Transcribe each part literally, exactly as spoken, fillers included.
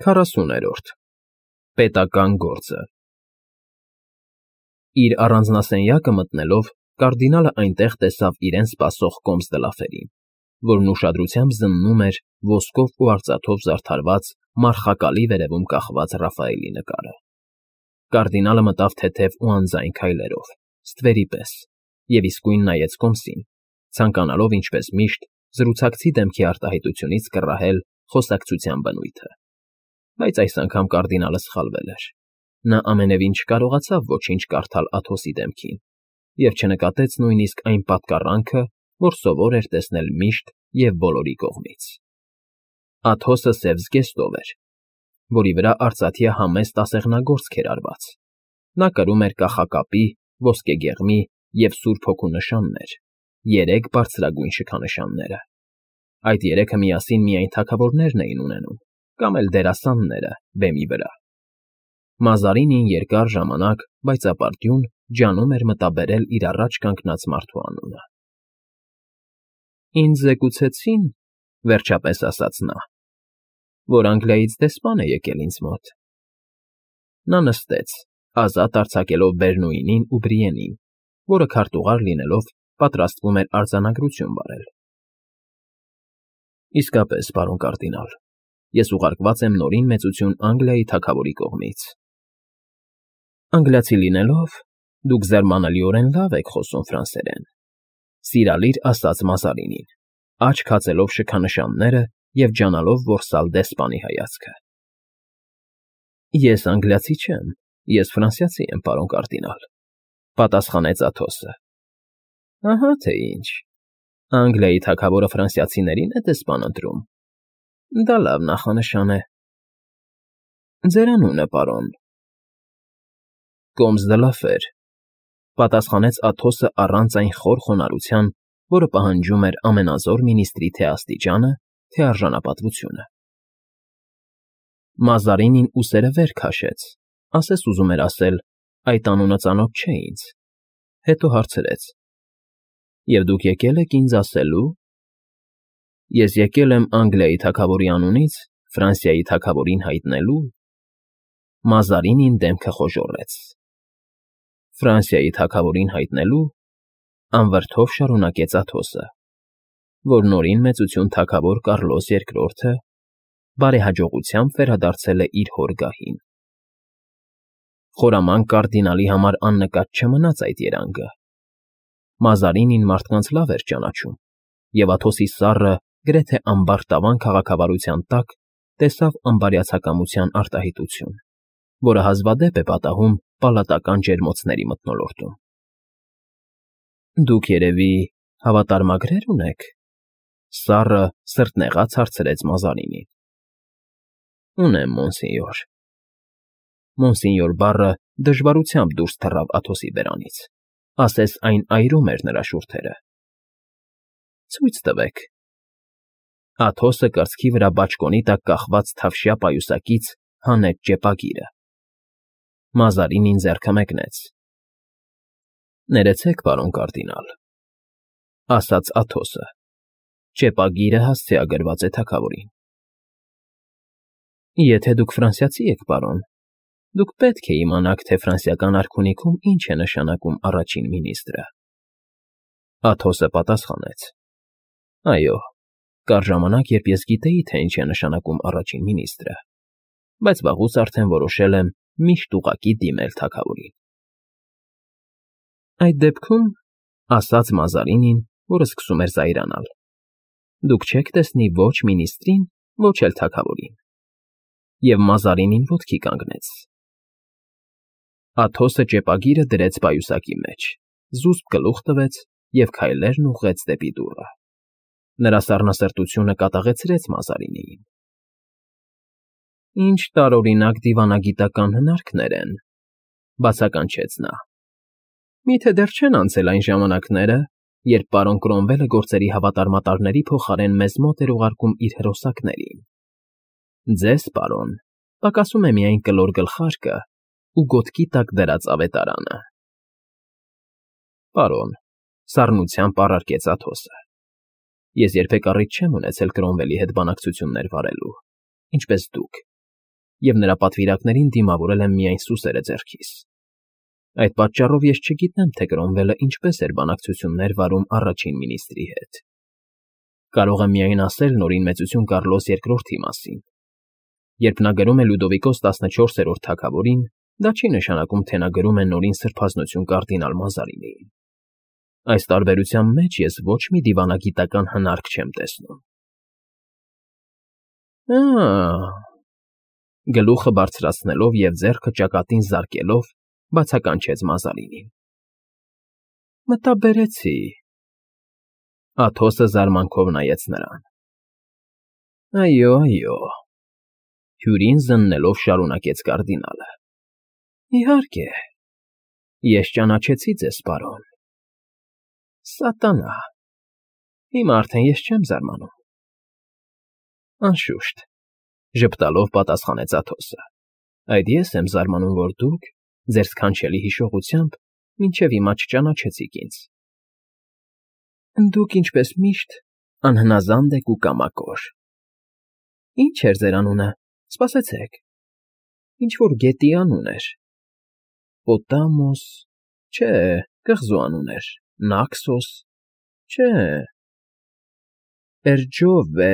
Քառասուներորդ Պետական գործը Իր առանձնասենյակը մտնելով, կարդինալը այնտեղ տեսավ իրեն սպասող կոմս դլաֆերին, որն ուշադրությամբ զննում էր ոսկով ու արծաթով զարդարված մարխակալի վերևում կախված Ռաֆայելի նկարը։ Կարդինալը մտավ թեթև ու անձայն քայլերով, ստվերի պես, և իսկույն նայեց կոմսին, ցանկանալով, ինչպես միշտ, զրուցակցի դեմքի արտահայտությունից կռահել խոսակցության բնույթը։ Բայց այս անգամ կարդինալը սխալվել էր. նա ամենևին չկարողացավ ոչինչ կարդալ Աթոսի դեմքին և չնկատեց նույնիսկ այն պատկառանքը, որ սովոր էր տեսնել միշտ և բոլորի կողմից։ Աթոսը սև զգեստով էր, որի վրա արծաթյա համեստ ասեղնագործք էր արված։ Նա կրում էր կախակապի, ոսկեգեղմի և Սուրբ Հոգու նշաններ, երեք բարձրագույն շքանշանները։ Այդ երեքը միասին միայն թագավորներն էին ունենում, կամ էլ դերասանները բեմի վրա։ Մազարինին երկար ժամանակ, բայց ապարդյուն, ջանում էր մտաբերել իր առաջ կանգնած մարդու անունը։ «Ինձ զեկուցեցին, ֊ վերջապես ասաց նա, ֊ որ Անգլիայից դեսպան է եկել ինձ մոտ»։ Նա նստեց, ազատ արձակելով Բերնուինին ու Բրիենին, որը քարտուղար լինելով, պատրաստվում էր արձանագրություն վարել։ «Իսկապես, պարոն կարդինալ, ես ուղարկված եմ Նորին Մեծություն Անգլիայի թագավորի կողմից»։ «Անգլիացի լինելով, դուք զարմանալիորեն լավ եք խոսում ֆրանսերեն», ֊ սիրալիր ասաց Մազարինին, աչք հացելով շքանշանները և ջանալով որսալ դեսպանի հայացքը։ «Ես անգլիացի չեմ, ես ֆրանսիացի եմ, պարոն կարդինալ», ֊ պատասխանեց Աթոսը։ «Ահա թե ինչ, Անգլիայի թագավորը ֆրանսիացիներին է դեսպան ընտրում։ Դա լավ նախանշան է։ Ձեր անունը, պարոն»։ «Կոմս դլաֆեր», ֊ պատասխանեց Աթոսը առանց այն խոր խոնարհության, որը պահանջում էր ամենազոր մինիստրի թե աստիճանը, թե արժանապատվությունը։ Մազարինին ուսերը վեր քաշեց, ասես ուզում էր ասել. «Այդ անունը ծանոթ չէ ինձ», հետո հարցրեց. «Եվ դուք եկել եք ինձ ասելու»։ «Ես եկել եմ Անգլիայի թագավորի անունից Ֆրանսիայի թագավորին հայտնելու»։ Մազարինին դեմքը խոժոռեց։ «Ֆրանսիայի թագավորին հայտնելու», ֊ անվրդով շարունակեց Աթոսը, «որ Նորին Մեծություն թագավոր Կառլոս Երկրորդը բարեհաջողությամբ վերադարձել է իր հոր գահին»։ Խորամանկ կարդինալի համար աննկատ չմնաց այդ երանգը։ Մազարինին մարդկանց լավ էր ճանաչում, և Աթոսի սառը, գրեթե ամբարտավան քաղաքավարության տակ տեսավ անբարյացակամության արտահայտություն, որը հազվադեպ է պատահում պալատական ջերմոցների մթնոլորտում։ «Դուք, երևի, հավատարմագրեր ունեք», ֊ սառը, սրտնեղած հարցրեց Մազարինին։ «Ունեմ, մոնսենյոր»։ «Մոնսենյոր» բառը դժվարությամբ դուրս թռավ Աթոսի բերանից, ասես այն այրում էր նրա շուրթերը։ «Ցույց տվեք»։ Աթոսը կրծքի վրա բաճկոնի տակ կախված թավշյա պայուսակից հանեց ճեպագիրը։ Մազարինին ձեռքը մեկնեց։ «Ներեցեք, պարոն կարդինալ», ֊ ասաց Աթոսը։ Ճեպագիրը հասցեագրված է թագավորին։ «Եթե դուք ֆրանսիացի եք, պարոն, դուք պետք է իմանաք, թե ֆրանսիական արքունիքում ինչ է նշանակում առաջին մինիստրը»։ Աթոսը պատասխանեց. «Այո, կար ժամանակ, երբ ես գիտեի, թե ինչ է նշանակում առաջին մինիստրը, բայց վաղուց արդեն որոշել եմ միշտ ուղղակի դիմել թագավորին»։ «Այդ դեպքում, ֊ ասաց Մազարինին, որը սկսում էր զայրանալ, ֊ դուք չեք տեսնի ոչ մինիստրին, ոչ էլ թագավորին»։ Եվ Մազարինին ոտքի կանգնեց։ Աթոսը ճեպագիրը դրեց պայուսակի մեջ, զուսպ գլուխ տվեց և քայլերն ուղղեց դեպի դուռը։ Նրա սառնասրտությունը կատաղեցրեց Մազարինիին։ «Ինչ տարօրինակ դիվանագիտական հնարքներ են», ֊ բացականչեց նա։ «Մի՞թե դեռ չեն անցել այն ժամանակները, երբ պարոն Կրոմվելը գործերի հավատարմատարների փոխարեն մեզ մոտ էր ուղարկում իր հրոսակներին։ Ձեզ, պարոն, պակասում է միայն կլոր գլխարկը ու գոտքի տակ դրած ավետարանը»։ «Պարոն», ֊ սառնությամբ առարկեց Աթոսը, «ես երբեք առիթ չեմ ունեցել Կրոմվելի հետ բանակցություններ վարելու, ինչպես դուք, և նրա պատվիրակներին դիմավորել եմ միայն սուսերը ձեռքիս։ Այդ պատճառով ես չգիտեմ, թե Կրոմվելը ինչպես էր բանակցություններ վարում առաջին մինիստրի հետ։ Կարող եմ միայն ասել Նորին Մեծություն Կառլոս երկրորդի մասին։ Երբ նա գրում է Լյուդովիկոս տասնչորսերորդ թագավորին, դա չի նշանակում, թե նա գրում է Նորին Սրբազնություն կարդինալ Մազարինիին։ Այս տարբերության մեջ ես ոչ մի դիվանագիտական հնարք չեմ տեսնում։ Ա՜, գլուխը բարձրացնելով և ձեռքը ճակատին զարկելով, բացականչեց Մազարինին։ Մտաբերեցի։ Աթոսը զարմանքով նայեց նրան։ Այո, այո, հյուրին զննելով շարունակեց կարդինալը։ Իհարկե, ես ճանաչեցի ձեզ, պարոն։ Սատանա, հիմա արդեն ես չեմ զարմանում։ Անշուշտ, ժպտալով պատասխանեց Աթոսը, այդ ես եմ զարմանում, որ դուք, ձեր սքանչելի հիշողությամբ, մինչև հիմա չճանաչեցիք ինձ։ Դուք, ինչպես միշտ, անհնազանդ եք ու կամակոր։ Ինչ էր ձեր անունը, սպասեցեք, ինչ-որ գետի անուն էր։ Պոտամոս, չէ, կղզու անուն էր, Նաքսոս, չէ, Պերջովե,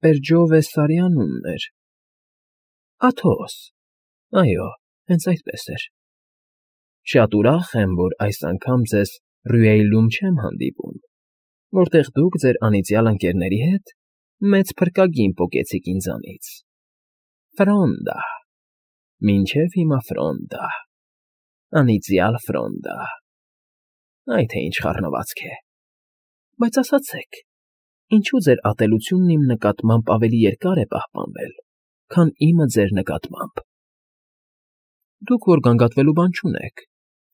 Պերջովե Սարի անունն էր։ Աթոս, այո, հենց այդպես էր։ Շատ ուրախ եմ, որ այս անգամ ձեզ Ռյուեյլում չեմ հանդիպում, որտեղ դուք ձեր անիծյալ ընկերների հետ մեծ փրկագին պոկեցիք ինձանից։ Ֆրոնդա, մինչև հիմա Ֆրոնդա, անիծյալ Ֆրոնդա, այ թե ինչ խառնվածք է։ Բայց ասացեք, ինչու ձեր ատելությունն իմ նկատմամբ ավելի երկար է պահպանվել, քան իմը ձեր նկատմամբ։ Դուք որ գանգատվելու բան չունեք,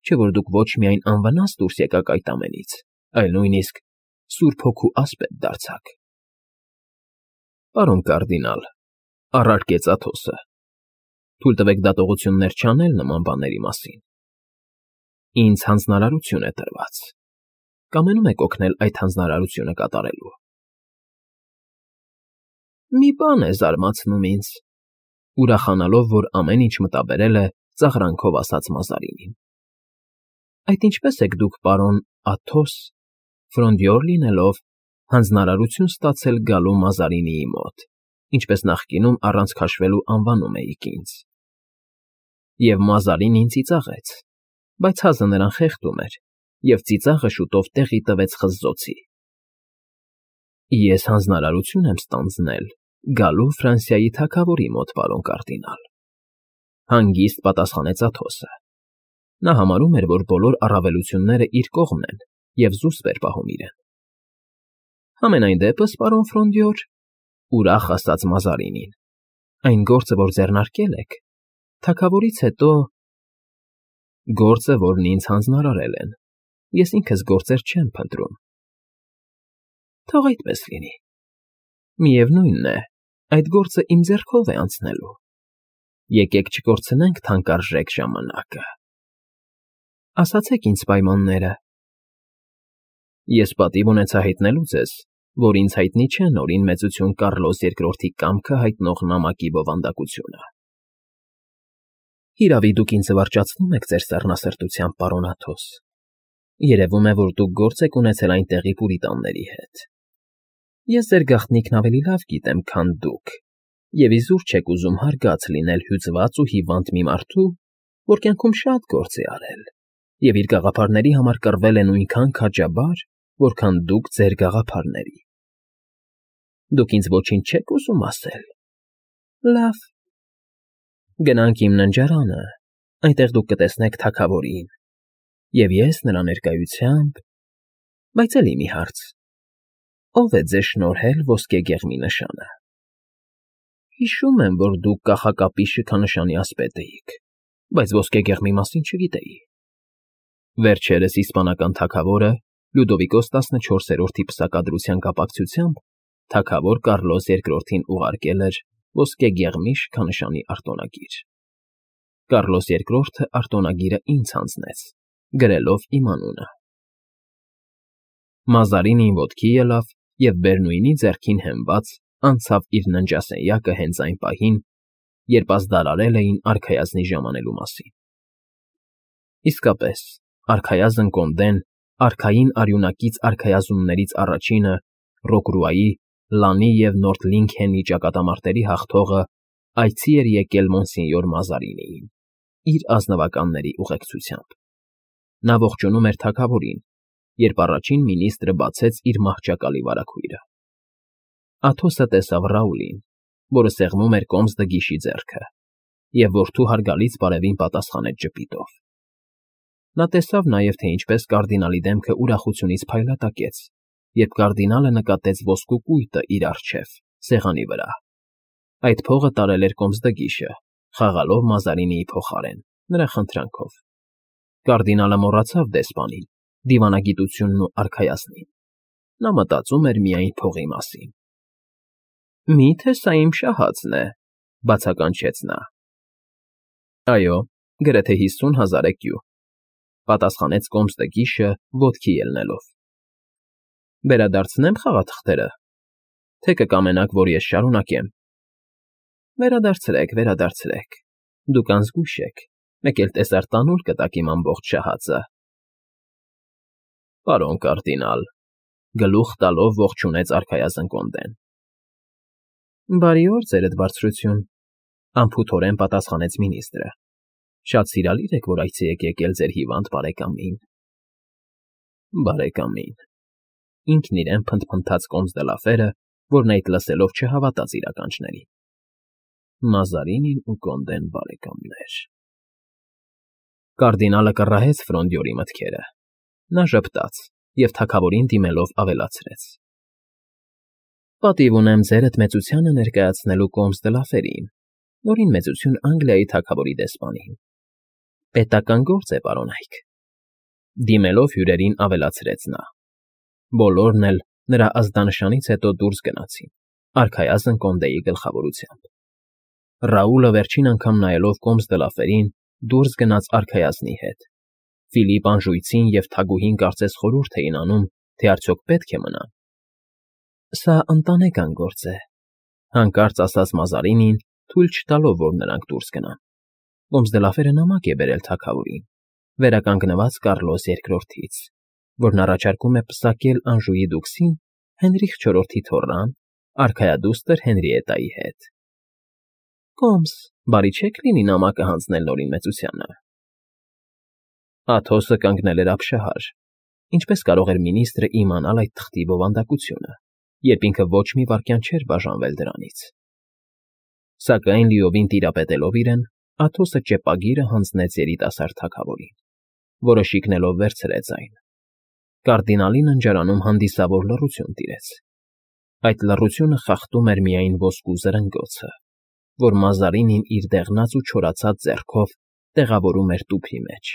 չէ՞ որ դուք ոչ միայն անվնաս դուրս եկաք այդ ամենից, այլ նույնիսկ Սուրբ Հոգու ասպետ դարձաք։ Պարոն կարդինալ, առարկեց Աթոսը, թույլ տվեք դատողություններ չանել նման բաների մասին։ Ինձ հանձնարարություն է տրված։ Կամենում եք օգնել այդ հանձնարարությունը կատարելու։ Մի բան է զարմացնում ինձ, ուրախանալով, որ ամեն ինչ մտաբերել է, ծաղրանքով ասաց Մազարինին։ Այդ ինչպես եք դուք, պարոն Աթոս, Ֆրոնդյոր լինելով, հանձնարարություն ստացել գալու Մազարինիի մոտ, ինչպես նախկինում առանց քաշվելու անվանում էիք ինձ։ Եվ Մազարինին ծիծաղեց, բայց հազը նրան խեղդում էր, և ծիծաղը շուտով տեղի տվեց խզզոցի։ Ես հանձնարարություն եմ ստանձնել գալու Ֆրանսիայի թագավորի մոտ, պարոն կարդինալ, հանգիստ պատասխանեց Աթոսը։ Նա համարում էր, որ բոլոր առավելությունները իր կողմն են և զուսպ էր պահում իրեն։ Համենայն դեպս, պարոն Ֆրոնդյոր, ուրախ ասաց Մազարինին, այն գործը, որ ձեռնարկել եք, թագավորից հետո… Գործը, որն ինձ հանձնարարել են, ես ինքս գործեր չեմ փնտրում։ Թող այդպես լինի։ Միևնույնն է, այդ գործը իմ ձեռքով է անցնելու։ Եկեք չկորցնենք թանկարժեք ժամանակը։ Ասացեք ինձ պայմանները։ Ես պատիվ ունեցա հայտնելու ձեզ, որ ինձ հայտնի չէ Նորին Մեծություն Կառլոս երկրորդի կամքը հայտնող նամակի բովանդակությունը։ Հիրավի դուք ինձ զվարճացնում եք ձեր սառնասրտությամբ, պարոն Աթոս։ Երևում է, որ դուք գործ եք ունեցել այնտեղի պուրիտանների հետ։ Ես ձեր գաղտնիքն ավելի լավ գիտեմ, քան դուք, և իզուր չեք ուզում հարգած լինել հյուծված ու հիվանդ մի մարդու, որ կյանքում շատ գործ է արել, և իր գաղափարների համար կռվել է նույնքան քաջաբար, որքան դուք ձեր գաղափարների։ Դուք ինձ ոչինչ չեք ուզում ասել։ Լավ։ Գնանք իմ ննջարանը, այնտեղ դուք կտեսնեք թագավորին, և ես նրա ներկայությամբ… Բայց էլի մի հարց. ո՞վ է ձեզ շնորհել ոսկեգեղմի նշանը։ Հիշում եմ, որ դուք կախակապի շքանշանի ասպետ էիք, բայց ոսկեգեղմի մասին չգիտեի։ Վերջերս իսպանական թագավորը Լյուդովիկոս տասնչորսերորդի պսակադրության կապակցությամբ թագավոր Կառլոս երկրորդին ուղարկել էր ոսկեգեղմի շքանշանի արտոնագիր։ Կառլոս երկրորդը արտոնագիրը ինձ հանձնեց, գրելով իմ անունը։ Մազարինին ոտքի ելավ և Բերնույնի ձեռքին հենված անցավ իր ննջասենյակը հենց այն պահին, երբ ազդարարել էին արքայազնի ժամանելու մասին։ Իսկապես, արքայազն Կոնդեն արքային արյունակից արքայազններից առաջինը, Ռոկրուայի, Լանի և Նորթ Լինքենի ճակատամարտերի հաղթողը այցի էր եկել Մոնսինյոր Մազարինիին իր ազնվականների ուղեկցությամբ։ Նա ողջունում էր թագավորին, երբ առաջին մինիստրը բացեց իր մահճակալի վարագույրը։ Աթոսը տեսավ Ռաուլին, որը սեղմում էր կոմսդգիշի ձեռքը, և որդու հարգալից բարևին պատասխանեց ժպիտով։ Նա տեսավ նաև, թե ինչպես կարդինալի դեմքը ուրախությունից փայլատակեց, երբ կարդինալը նկատեց ոսկու կույտը իր առջև, սեղանի վրա։ Այդ փողը տարել էր կոմսդգիշը, խաղալով Մազարինիի փոխարեն, նրա խնդրանքով։ Կարդինալը մոռացավ դեսպանին, դիվանագիտությունն ու արքայազնին։ Նա մտածում էր միայն փողի մասին։ Մի՞թե սա իմ շահածն է,֊ բացականչեց նա։ Այո, գրեթե հիսուն հազար էկյու,֊ պատասխանեց կոմսդգիշը ոտքի ելնելով։ Վերադարձնե՞մ խաղաթղթերը, թե կկամենաք, որ ես շարունակեմ։ Վերադարձրեք, վերադարձրեք, դուք անզգույշ եք, մեկ էլ տեսար տանուլ կտաք իմ ամբողջ շահածը։ Պարոն կարդինալ,֊ գլուխ տալով ողջունեց արքայազն Կոնդեն։ Բարի օր, ձերդ բարձրություն,֊ անփութորեն պատասխանեց մինիստրը։ Շատ սիրալիր եք, որ այցի եք եկել ձեր հիվանդ բարեկամին։ Բարեկամին,֊ ինքն իրեն փնթփնթաց կոմսդլաֆերը, որն այդ լսելով չհավատաց իր ականջներին։ Մազարինին ու Կոնդեն բարեկամներ… Կարդինալը կռահեց Ֆրոնդյորի մտքերը։ Նա ժպտաց և թագավորին դիմելով ավելացրեց. Պատիվ ունեմ ձերդ մեծությանը ներկայացնելու կոմսդլաֆերին, որին մեծություն Անգլիայի թագավորի դեսպանին։ Պետական գործ է, պարոնայք,֊ դիմելով հյուրերին ավելացրեց նա։ Բոլորն էլ նրա ազդանշանից հետո դուրս գնացին, արքայազն Կոնդեի գլխավորությամբ։ Ռաուլը վերջին անգամ նայելով կոմսդլաֆերին դուրս գնաց արքայազնի հետ։ Ֆիլիպ Անժույցին և թագուհին կարծես խորհուրդ էին անում, թե արդյոք պետք է մնան։ Սա ընտանեկան գործ է,֊ հանկարծ ասաց Մազարինին, թույլ չտալով, որ նրանք դուրս գնան։ Կոմսդլաֆերը նամակ է բերել թագավորին, վերականգնված Կառլոս երկրորդից, որն առաջարկում է պսակել Անժուի դուքսին Հենրիխ չորրորդի թոռան, արքայադուստր Հենրիետայի հետ։ Կոմս, բարի չէ՞ք լինի նամակը հանձնել նորին մեծությանը։ Աթոսը կանգնել էր ապշահար։ Ինչպես կարող էր մինիստրը իմանալ այդ թղթի բովանդակությունը, երբ ինքը ոչ մի վայրկյան չէր բաժանվել դրանից։ Սակայն լիովին տիրապետելով իրեն, Աթոսը ճեպագիրը հանձնեց երիտասարդ թագավորին, որը շիկնելով վերցրեց այն։ Կարդինալի ննջարանում հանդիսավոր լռություն տիրեց։ Այդ լռությունը խախտում էր միայն ոսկու զրնգոցը, որ Մազարինին իր դեղնած ու չորացած ձեռքով տեղավորում էր տուփի մեջ,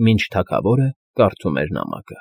մինչ թագավորը կարդում էր նամակը։